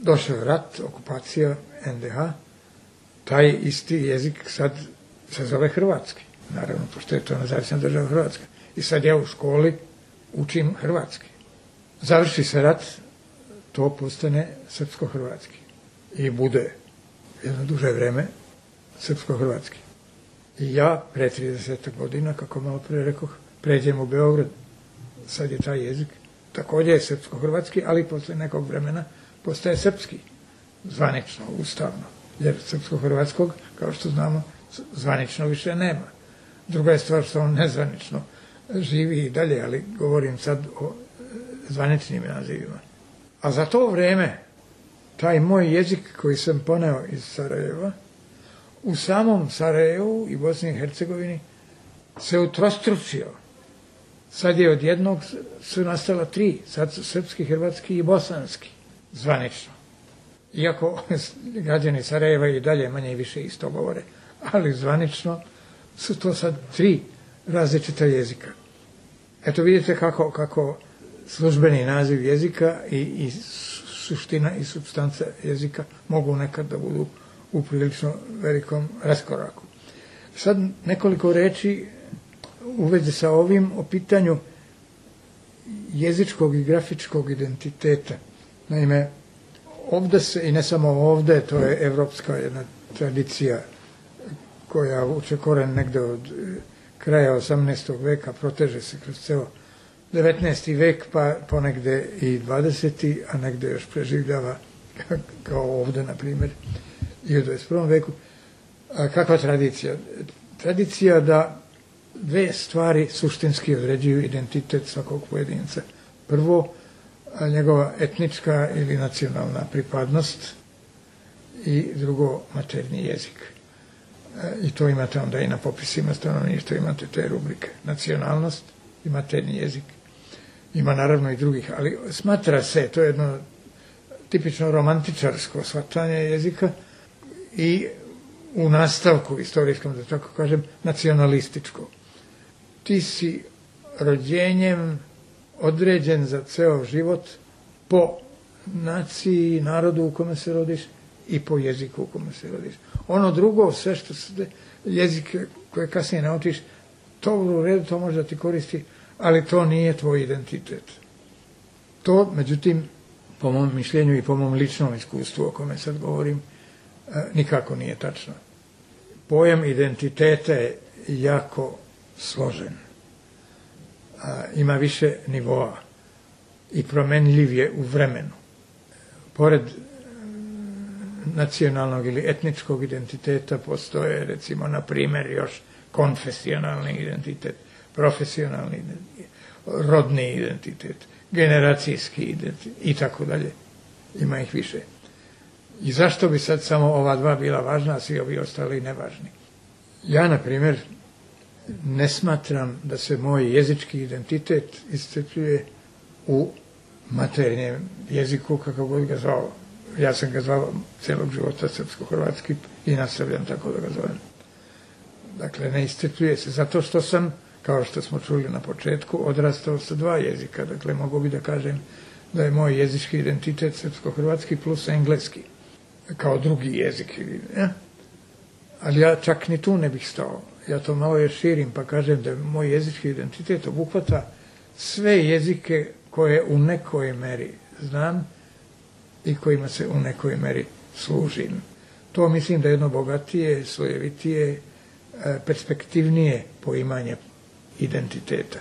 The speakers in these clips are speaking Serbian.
došao je rat, okupacija, NDH, taj isti jezik sad se zove hrvatski. Naravno, pošto je to nezavisna država Hrvatska. I sad ja u školi učim hrvatski. Završi se rat, to postane srpsko-hrvatski. I bude jedno duže vreme srpsko-hrvatski. I ja pre 30 godina, kako malo pre rekoh, pređem u Beograd. Sad je taj jezik također je srpsko-hrvatski, ali posle nekog vremena postaje srpski. Zvanično, ustavno. Jer srpsko-hrvatskog, kao što znamo, zvanično više nema. Druga je stvar što on nezvanično živi i dalje, ali govorim sad o zvaničnim nazivima. A za to vreme, taj moj jezik koji sam poneo iz Sarajeva, u samom Sarajevu i Bosni i Hercegovini se utrostručio. Sad je od jednog su nastala 3, sad su srpski, hrvatski i bosanski, zvanično. Iako građani Sarajeva i dalje manje i više isto govore, ali zvanično su to sad 3 različita jezika. Eto vidite kako službeni naziv jezika i suština i supstanca jezika mogu nekad da budu u prilično velikom raskoraku. Sad nekoliko reči u vezi sa ovim o pitanju jezičkog i grafičkog identiteta. Naime, ovde se, i ne samo ovde, to je evropska jedna tradicija koja vuče koren negde od kraja 18. veka, proteže se kroz ceo 19. vek, pa ponegde i 20. a negde još preživljava, kao ovde, na primjer, i u 21. veku. A kakva tradicija? Tradicija da 2 stvari suštinski određuju identitet svakog pojedinca. Prvo, njegova etnička ili nacionalna pripadnost i drugo, maternji jezik. I to imate onda i na popisima stanovništva, imate te rubrike. Nacionalnost i maternji jezik. Ima naravno i drugih, ali smatra se, to je jedno tipično romantičarsko shvatanje jezika i u nastavku istorijskom, da tako kažem, nacionalističko. Ti si rođenjem određen za ceo život po naciji, narodu u kome se rodiš i po jeziku u kome se rodiš. Ono drugo, sve što se jezike koje kasnije naučiš, to u redu, to može da ti koristi, ali to nije tvoj identitet. To, međutim, po mom mišljenju i po mom ličnom iskustvu o kome sad govorim, nikako nije tačno. Pojam identiteta je jako složen. Ima više nivoa i promenljiv je u vremenu. Pored nacionalnog ili etničkog identiteta postoje, recimo, na primjer, još konfesionalni identitet, profesionalni identitet, rodni identitet, generacijski identitet i tako dalje. Ima ih više. I zašto bi sad samo ova 2 bila važna, a svi ovi ostali nevažni? Ja, na primjer, ne smatram da se moj jezički identitet iscrpljuje u maternjem jeziku, kako god ga zvao. Ja sam ga zvao celog života srpsko-hrvatski i nastavljam tako da ga zovem. Dakle, ne iscrpljuje se, zato što sam, kao što smo čuli na početku, odrastao sa 2 jezika. Dakle, mogu bi da kažem da je moj jezički identitet srpsko-hrvatski plus engleski, kao drugi jezik. Ali ja čak ni tu ne bih stao. Ja to malo još širim pa kažem da moj jezički identitet obuhvata sve jezike koje u nekoj meri znam i kojima se u nekoj meri služim. To mislim da je jedno bogatije, slojevitije, perspektivnije poimanje identiteta.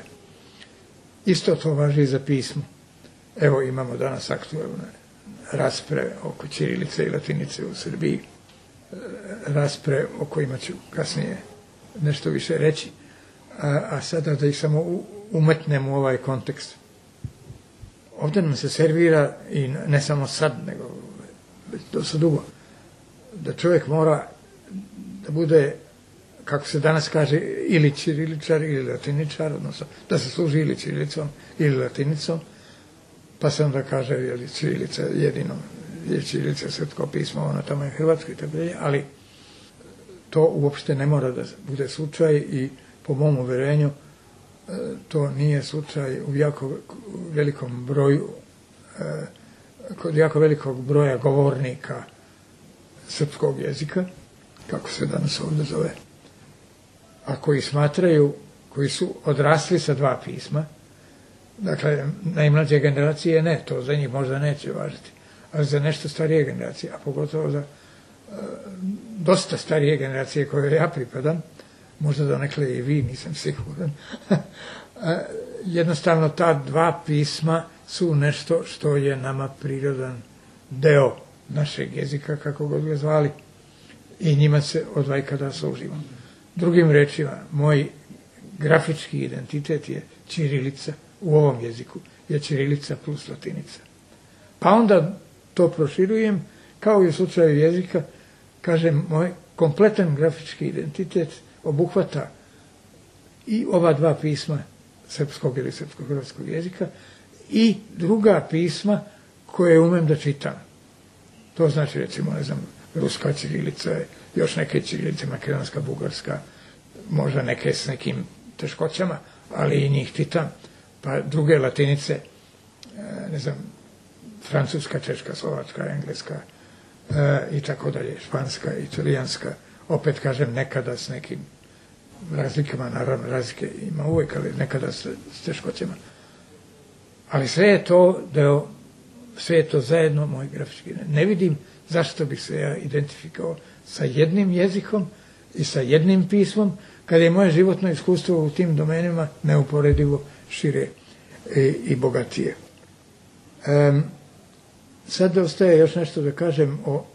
Isto to važi i za pismo. Evo imamo danas aktualne rasprave oko ćirilice i latinice u Srbiji, rasprave o kojima ću kasnije nešto više reći, a sada da ih samo umetnem u ovaj kontekst. Ovdje nam se servira, i ne samo sad, nego već dosta dugo, da čovjek mora da bude, kako se danas kaže, ili ćiriličar ili latiničar, odnosno da se služi ili ćirilicom ili latinicom, pa se onda kaže, je li ćirilica jedino, je ćirilica srpsko pismo, ono tamo je hrvatsko i tako dalje, ali to uopšte ne mora da bude slučaj i po mom uverenju to nije slučaj u jako velikom broju kod jako velikog broja govornika srpskog jezika, kako se danas ovdje zove, a koji smatraju, koji su odrasli sa dva pisma, dakle, najmlađe generacije ne, to za njih možda neće važiti, ali za nešto starije generacije, a pogotovo za dosta starije generacije koje ja pripadam, možda donekle i vi, nisam siguran, jednostavno ta dva pisma su nešto što je nama prirodan deo našeg jezika, kako god ga zvali, i njima se od vajkada služimo. Drugim rečima, moj grafički identitet je ćirilica u ovom jeziku, je ćirilica plus latinica. Pa onda to proširujem, kao i u slučaju jezika, kažem, moj kompletan grafički identitet obuhvata i ova dva pisma srpskog ili srpsko-hrvatskog jezika i druga pisma koje umem da čitam. To znači, recimo, ne znam, ruska ćirilica, još neke ćirilice, makedonska, bugarska, možda neke s nekim teškoćama, ali i njih čitam. Pa druge latinice, ne znam, francuska, češka, slovačka, engleska i tako dalje, španska, italijanska, opet kažem nekada s nekim razlikama, naravno razlike ima uvijek, ali nekada s teškoćama. Ali sve je to deo, sve je to zajedno moj grafički. Ne vidim zašto bih se ja identifikao sa jednim jezikom i sa jednim pismom, kada je moje životno iskustvo u tim domenima neuporedivo šire i bogatije. Sad ostaje još nešto da kažem o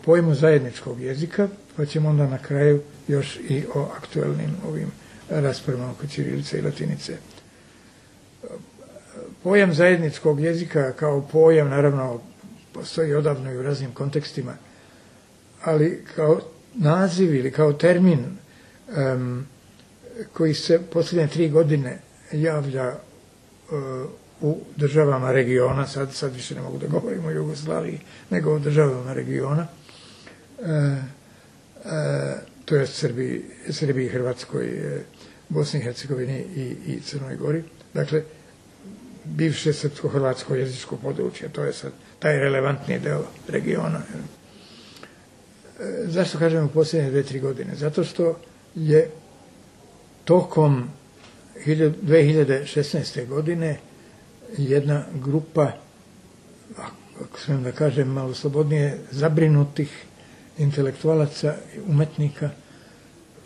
pojmu zajedničkog jezika, pa ćemo onda na kraju još i o aktuelnim ovim raspravama oko ćirilice i latinice. Pojam zajedničkog jezika kao pojam, naravno, postoji odavno i u raznim kontekstima, ali kao naziv ili kao termin koji se posljednje 3 godine javlja u državama regiona, sad više ne mogu da govorim o Jugoslaviji, nego o državama regiona, to je Srbiji, Hrvatskoj, Bosni i Hercegovini i Crnoj Gori. Dakle, bivše srpsko-hrvatsko jezičko područje, to je sad taj relevantni deo regiona. Zašto kažem u posljednje 2-3 godine? Zato što je tokom 2016. godine jedna grupa, ako smijem da kažem malo slobodnije, zabrinutih intelektualaca i umetnika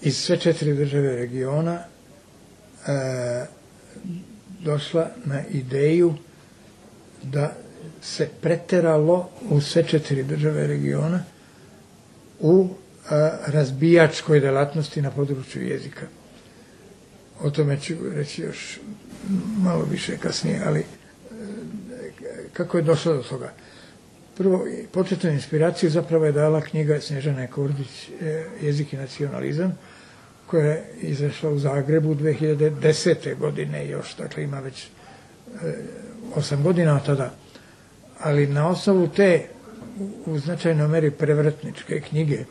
iz sve 4 države regiona došla na ideju da se preteralo u sve 4 države regiona u razbijačkoj delatnosti na području jezika. O tome ću reći još malo više kasnije, ali kako je došlo do toga? Prvo, početnu inspiraciju zapravo je dala knjiga Snježane Kordić, Jezik i nacionalizam, koja je izašla u Zagrebu 2010. godine još, dakle ima već 8 godina od tada. Ali na osnovu te u značajnoj meri prevratničke knjige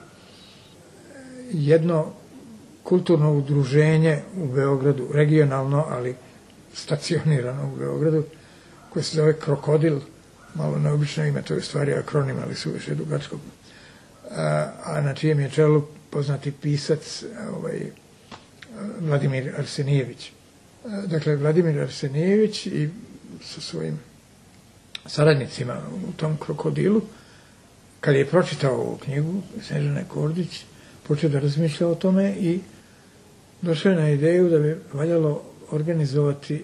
jedno kulturno udruženje u Beogradu, regionalno, ali stacionirano u Beogradu, koje se zove Krokodil, malo neobično ime, to je stvari akronim, ali su više dugačko, a na čijem je čelu poznati pisac Vladimir Arsenijević. Dakle, Vladimir Arsenijević i sa svojim saradnicima u tom Krokodilu, kad je pročitao ovu knjigu Snježane Kordić, počeo da razmišlja o tome i došao je na ideju da bi valjalo organizovati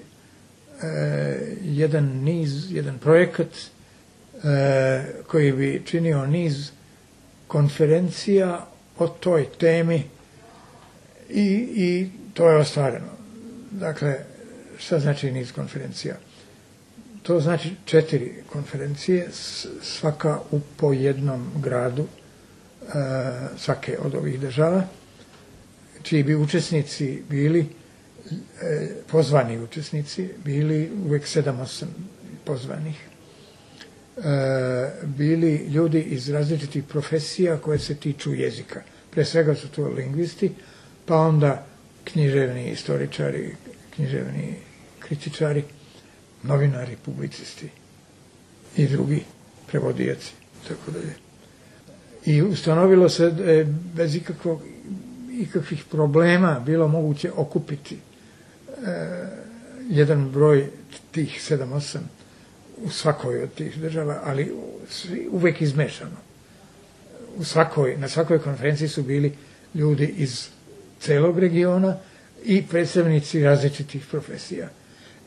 jedan projekat koji bi činio niz konferencija o toj temi i to je ostvareno. Dakle, šta znači niz konferencija? To znači 4 konferencije, svaka po jednom gradu svake od ovih država, čiji bi učesnici bili, pozvani učesnici, bili uvijek 7-8 pozvanih, bili ljudi iz različitih profesija koje se tiču jezika. Pre svega su to lingvisti, pa onda književni istoričari, književni kritičari, novinari, publicisti, i drugi prevodioci, tako dalje. I ustanovilo se da je bez ikakvih problema bilo moguće okupiti jedan broj tih 7-8 u svakoj od tih država, ali uvek izmešano. Na svakoj konferenciji su bili ljudi iz celog regiona i predstavnici različitih profesija.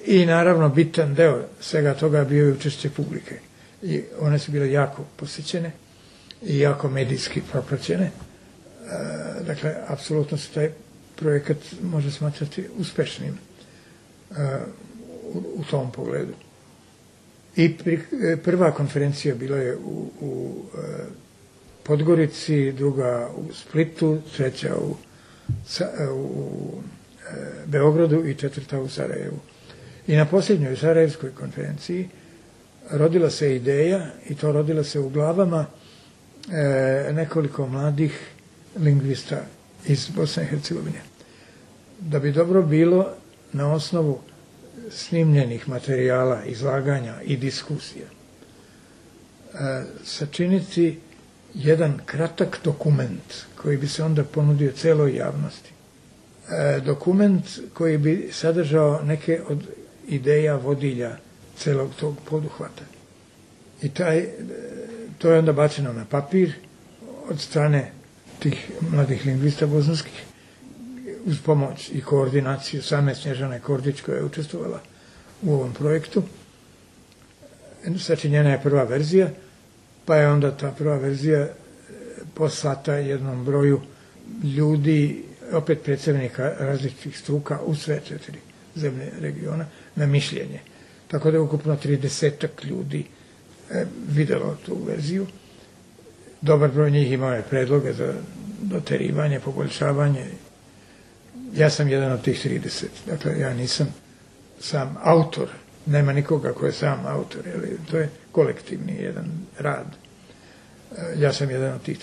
I naravno bitan deo svega toga bio je učešće publike. I one su bile jako posjećene i jako medijski propraćene. Dakle, apsolutno se taj projekat može smatrati uspešnim u tom pogledu. I prva konferencija bila je u Podgorici, druga u Splitu, treća u Beogradu i četvrta u Sarajevu. I na posljednjoj Sarajevskoj konferenciji rodila se ideja, i to rodila se u glavama nekoliko mladih lingvista iz Bosne i Hercegovine. Da bi dobro bilo na osnovu snimljenih materijala, izlaganja i diskusija sačiniti jedan kratak dokument koji bi se onda ponudio celoj javnosti. Dokument koji bi sadržao neke od ideja vodilja celog tog poduhvata. I to je onda bačeno na papir od strane tih mladih lingvista bosanskih uz pomoć i koordinaciju same Snježane Kordić koja je učestvovala u ovom projektu. Sačinjena je prva verzija, pa je onda ta prva verzija poslata jednom broju ljudi, opet predstavnika različitih struka u sve 4 zemlje regiona, na mišljenje. Tako da je ukupno 30 ljudi videlo tu verziju. Dobar broj njih imao je predloge za doterivanje, poboljšavanje. Ja sam jedan od tih 30. Dakle, ja nisam sam autor. Nema nikoga ko je sam autor. To je kolektivni jedan rad. Ja sam jedan od tih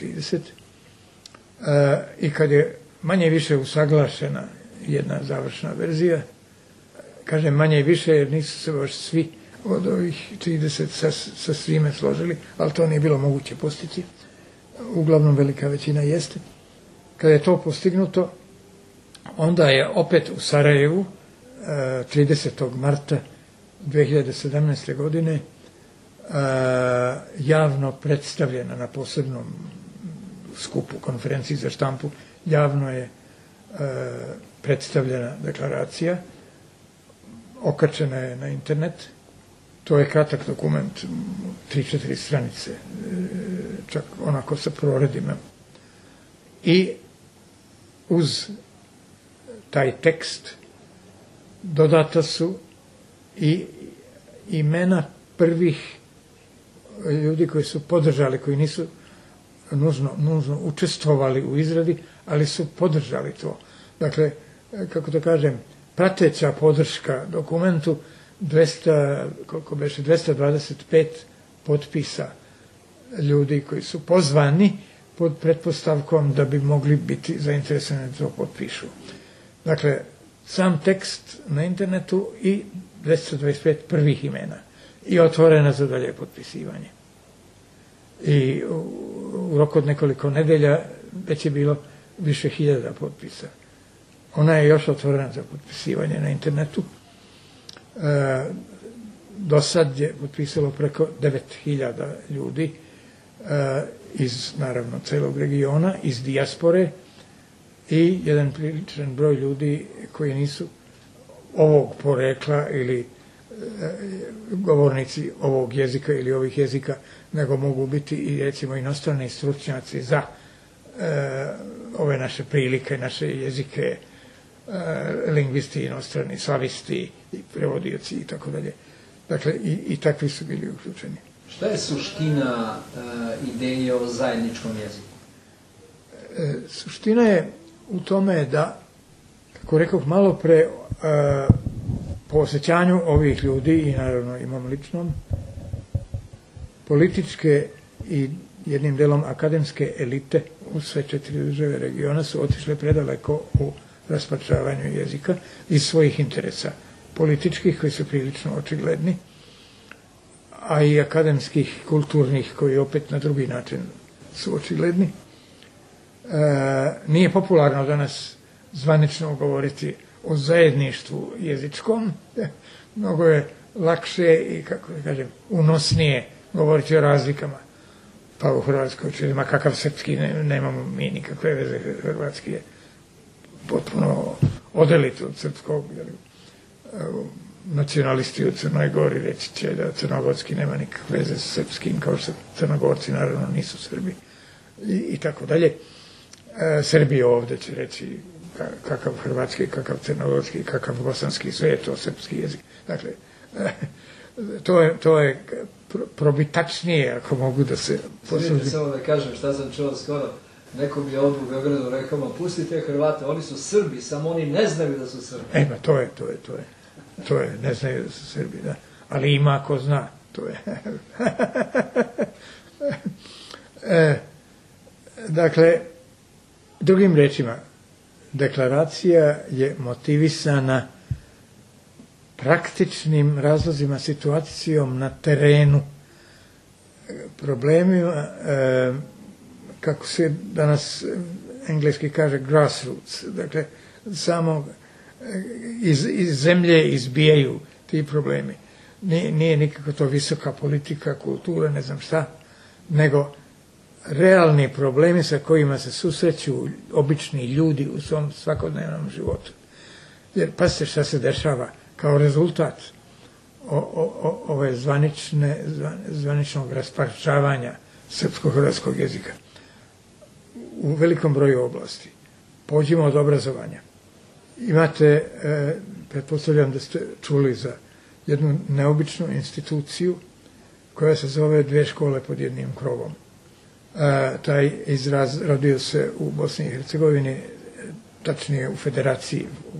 30. I kad je manje više usaglašena jedna završna verzija, kažem manje i više jer nisu se baš svi od ovih 30 sa svime složili, ali to nije bilo moguće postići. Uglavnom velika većina jeste. Kad je to postignuto, onda je opet u Sarajevu 30. marta 2017. godine javno predstavljena na posebnom skupu, konferenciji za štampu, javno je predstavljena deklaracija, okačena je na internet. To je kratak dokument, 3-4 stranice, čak onako sa proredima. I uz taj tekst dodata su i imena prvih ljudi koji su podržali, koji nisu nužno učestvovali u izradi, ali su podržali to. Dakle, kako to kažem, prateća podrška dokumentu 225 potpisa ljudi koji su pozvani pod pretpostavkom da bi mogli biti zainteresovani da to potpišu. Dakle, sam tekst na internetu i 225 prvih imena i otvorena za dalje potpisivanje. I u roku od nekoliko nedelja već je bilo više 1000 potpisa. Ona je još otvorena za potpisivanje na internetu. Do sad je potpisalo preko 9000 ljudi iz, naravno, celog regiona, iz dijaspore i jedan priličan broj ljudi koji nisu ovog porekla ili govornici ovog jezika ili ovih jezika, nego mogu biti i, recimo, inostrani stručnjaci za ove naše prilike, naše jezike, lingvisti, inostrani, slavisti, prevodioci i tako dalje. Dakle, i takvi su bili uključeni. Šta je suština ideje o zajedničkom jeziku? Suština je u tome da, kako rekoh malo pre, po osjećanju ovih ljudi i naravno imam ličnom, političke i jednim delom akademske elite u sve 4 države regiona su otišle predaleko u raspačavanju jezika iz svojih interesa političkih koji su prilično očigledni, a i akademskih, kulturnih, koji opet na drugi način su očigledni. Nije popularno danas zvanično govoriti o zajedništvu jezičkom. Mnogo je lakše i, kako da kažem, unosnije govoriti o razlikama. Pa u Hrvatskoj čujemo kakav srpski, nemamo mi nikakve veze, hrvatski je potpuno odelit od srpskog. Nacionalisti u Crnoj Gori reći će da crnogorski nema nikakve veze s srpskim, kao što Crnogorci naravno nisu Srbi i tako dalje. Srbi ovdje će reći kakav hrvatski, kakav crnogorski, kakav bosanski, sve je to srpski jezik. Dakle, to je probitačnije, ako mogu da se posudim. Sviđa samo da kažem šta sam čuo skoro. Neko mi je ovdje u Beogradu rekao, ma pustite Hrvate, oni su Srbi, samo oni ne znaju da su Srbi. To je, ne znaju da su Srbi, da. Ali ima ko zna, to je. Dakle, drugim rečima, deklaracija je motivisana praktičnim razlozima, situacijom na terenu, problemima, kako se danas engleski kaže grassroots, dakle, samo iz zemlje izbijaju ti problemi. Nije nikako to visoka politika, kultura, ne znam šta, nego realni problemi sa kojima se susreću obični ljudi u svom svakodnevnom životu. Jer pazite šta se dešava kao rezultat ove zvaničnog rasparčavanja srpsko-hrvatskog jezika u velikom broju oblasti. Pođimo od obrazovanja. Imate, pretpostavljam da ste čuli za jednu neobičnu instituciju koja se zove Dve škole pod jednim krovom. Taj izraz rodio se u Bosni i Hercegovini, tačnije u federaciji, u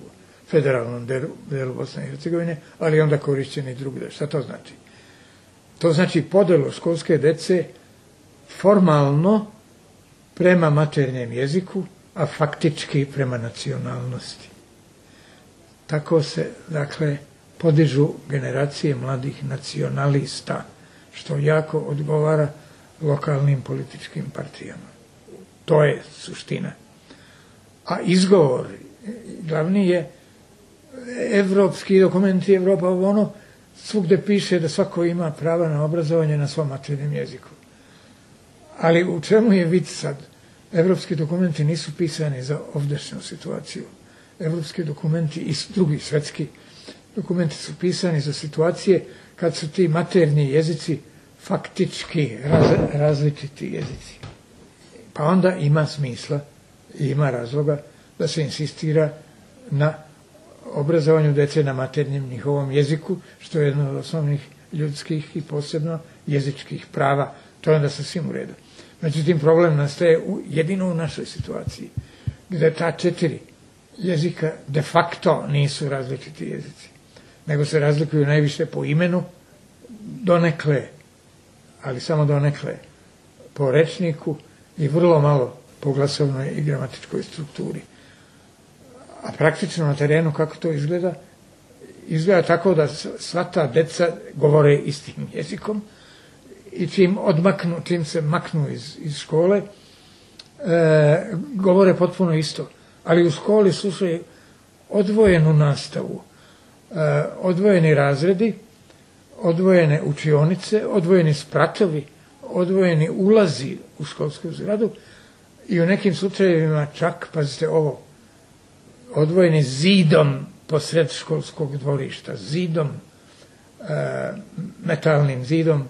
federalnom delu Bosne i Hercegovine, ali onda korišćeni drugdje. Šta to znači? To znači podelu školske dece formalno prema maternjem jeziku, a faktički prema nacionalnosti. Tako se, dakle, podižu generacije mladih nacionalista, što jako odgovara lokalnim političkim partijama. To je suština. A izgovor glavni je evropski dokumenti, Evropa, ono, svugde piše da svako ima prava na obrazovanje na svom maternjem jeziku. Ali u čemu je vid sad? Evropski dokumenti nisu pisani za ovdašnju situaciju. Evropski dokumenti i drugi svetski dokumenti su pisani za situacije kad su ti maternji jezici faktički različiti jezici. Pa onda ima smisla i ima razloga da se insistira na obrazovanju dece na maternjem njihovom jeziku, što je jedno od osnovnih ljudskih i posebno jezičkih prava. To je onda sasvim u redu. Međutim, problem nastaje jedino u našoj situaciji, gde ta 4 jezika de facto nisu različiti jezici, nego se razlikuju najviše po imenu, donekle, ali samo donekle, po rečniku i vrlo malo po glasovnoj i gramatičkoj strukturi. A praktično na terenu kako to izgleda? Izgleda tako da sva ta deca govore istim jezikom i čim se maknu iz škole, govore potpuno isto. Ali u školi slušaju odvojenu nastavu, odvojeni razredi, odvojene učionice, odvojeni spratovi, odvojeni ulazi u školsku zgradu i u nekim slučajevima čak, pazite ovo, odvojeni zidom posred školskog dvorišta, zidom, metalnim zidom,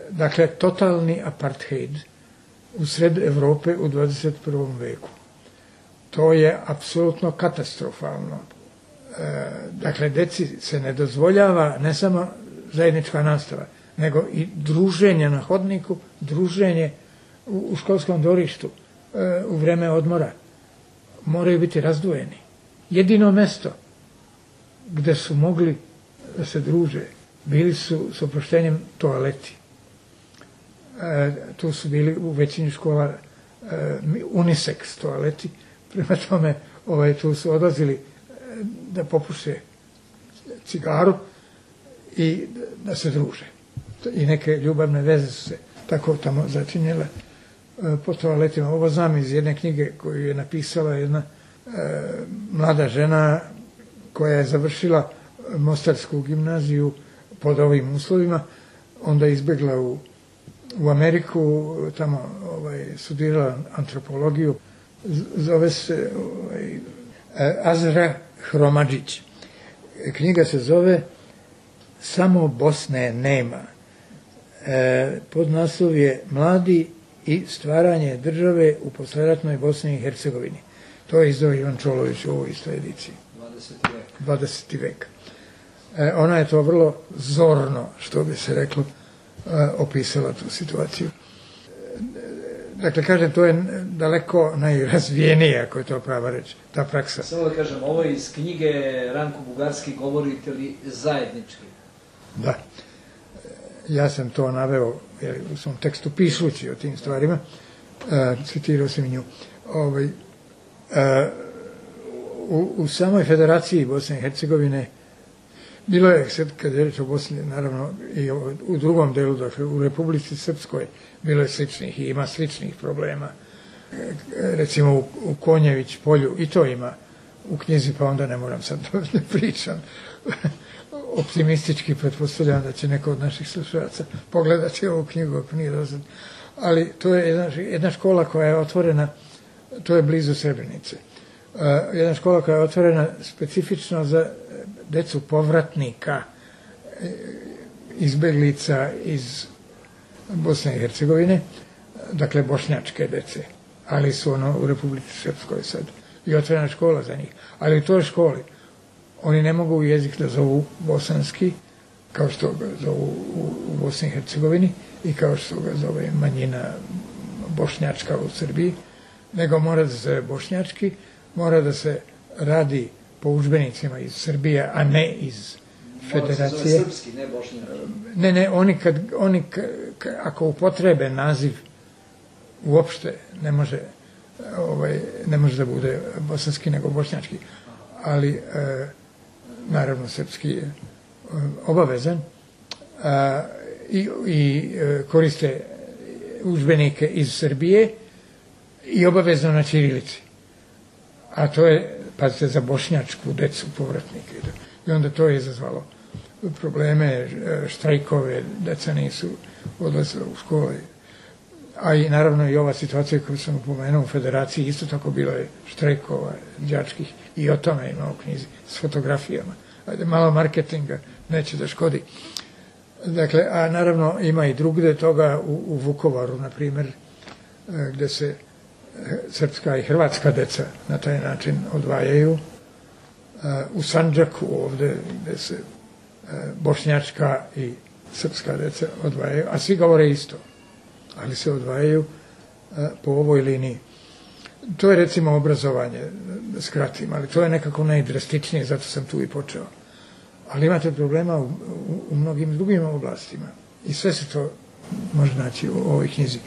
dakle, totalni apartheid u sred Evrope u 21. veku. To je apsolutno katastrofalno. Dakle, deci se ne dozvoljava ne samo zajednička nastava, nego i druženje na hodniku, druženje u školskom dvorištu, u vreme odmora. Moraju biti razdvojeni. Jedino mesto gde su mogli da se druže bili su, s oproštenjem, toaleti. Tu su bili u većini škola unisex toaleti, prema tome tu su odlazili da popuše cigaru i da se druže. I neke ljubavne veze su se tako tamo začinjele po toaletima. Ovo znam iz jedne knjige koju je napisala jedna mlada žena koja je završila Mostarsku gimnaziju pod ovim uslovima, onda je izbjegla u Ameriku, tamo studirala antropologiju, zove se Azra Hromadžić. Knjiga se zove Samo Bosne nema. Podnaslov je Mladi i stvaranje države u posleratnoj Bosni i Hercegovini. To je izdao Ivan Čolović u ovoj istoj ediciji. 20. vek. Ona je to vrlo zorno, što bi se reklo, opisala tu situaciju. Dakle, kažem, to je daleko najrazvijenija, ako je to prava reč, ta praksa. Samo da kažem, ovo je iz knjige Ranko Bugarski, govorite li zajednički? Da. Ja sam to naveo u svom tekstu pišući o tim stvarima. Citirao sam i nju. U samoj federaciji Bosne i Hercegovine bilo je, kad je reč o Bosni, naravno i u drugom delu, dakle u Republici Srpskoj, bilo je sličnih i ima sličnih problema. Recimo u Konjević polju, i to ima u knjizi, pa onda ne moram sad da pričam. Optimistički pretpostavljam da će neko od naših slušalaca pogledati ovu knjigu, ako nije dosad. Ali to je jedna škola koja je otvorena, to je blizu Srebrenice. Jedna škola koja je otvorena specifično za decu povratnika, izbeglica iz Bosne i Hercegovine, dakle bošnjačke dece, ali su u Republici Srpskoj sad. I otvorena škola za njih. Ali u toj školi oni ne mogu jezik da zovu bosanski, kao što ga zovu u Bosni i Hercegovini i kao što ga zove manjina bošnjačka u Srbiji, nego mora da se zove bošnjački, mora da se radi po udžbenicima iz Srbije, a ne iz federacije. Mora se zove srpski, ne bošnjački. Ne, oni ako upotrebe naziv uopšte ne može da bude bosanski nego bošnjački, ali naravno srpski je obavezan i koriste udžbenike iz Srbije i obavezno na ćirilici. A to je, pazite, za bošnjačku decu povratnike. I onda to je izazvalo probleme, štrajkove, deca nisu odlazila u škole. A i naravno i ova situacija koju sam upomenuo u federaciji, isto tako bilo je štrajkova đačkih i o tome ima u knjizi s fotografijama. Ajde, malo marketinga neće da škodi. Dakle, a naravno ima i drugde toga u Vukovaru, na primjer, gde se srpska i hrvatska deca na taj način odvajaju. U Sandžaku ovde gde se bošnjačka i srpska deca odvajaju, a svi govore isto, ali se odvajaju po ovoj liniji. To je recimo obrazovanje, da skratim, ali to je nekako najdrastičnije, zato sam tu i počeo. Ali imate problema u mnogim drugim oblastima i sve se to može naći u ovoj knjizi.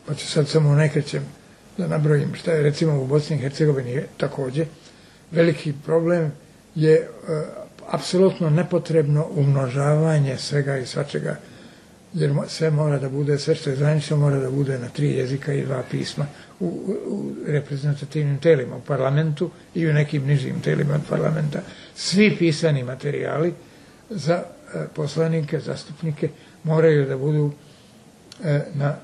Pa ću sad samo nekrećem da nabrojim šta je recimo u Bosni i Hercegovini takođe. Veliki problem je apsolutno nepotrebno umnožavanje svega i svačega, jer sve mora da bude, sve što je zvanično mora da bude na 3 jezika i 2 pisma u reprezentativnim telima, u parlamentu i u nekim nižim telima od parlamenta. Svi pisani materijali za poslanike, zastupnike moraju da budu na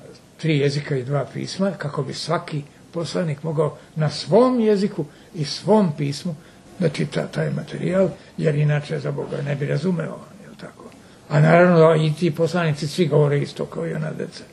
3 jezika i 2 pisma, kako bi svaki poslanik mogao na svom jeziku i svom pismu da čita taj materijal, jer inače za Boga ne bi razumeo, je li tako? A naravno i ti poslanici svi govore isto kao i ona deca.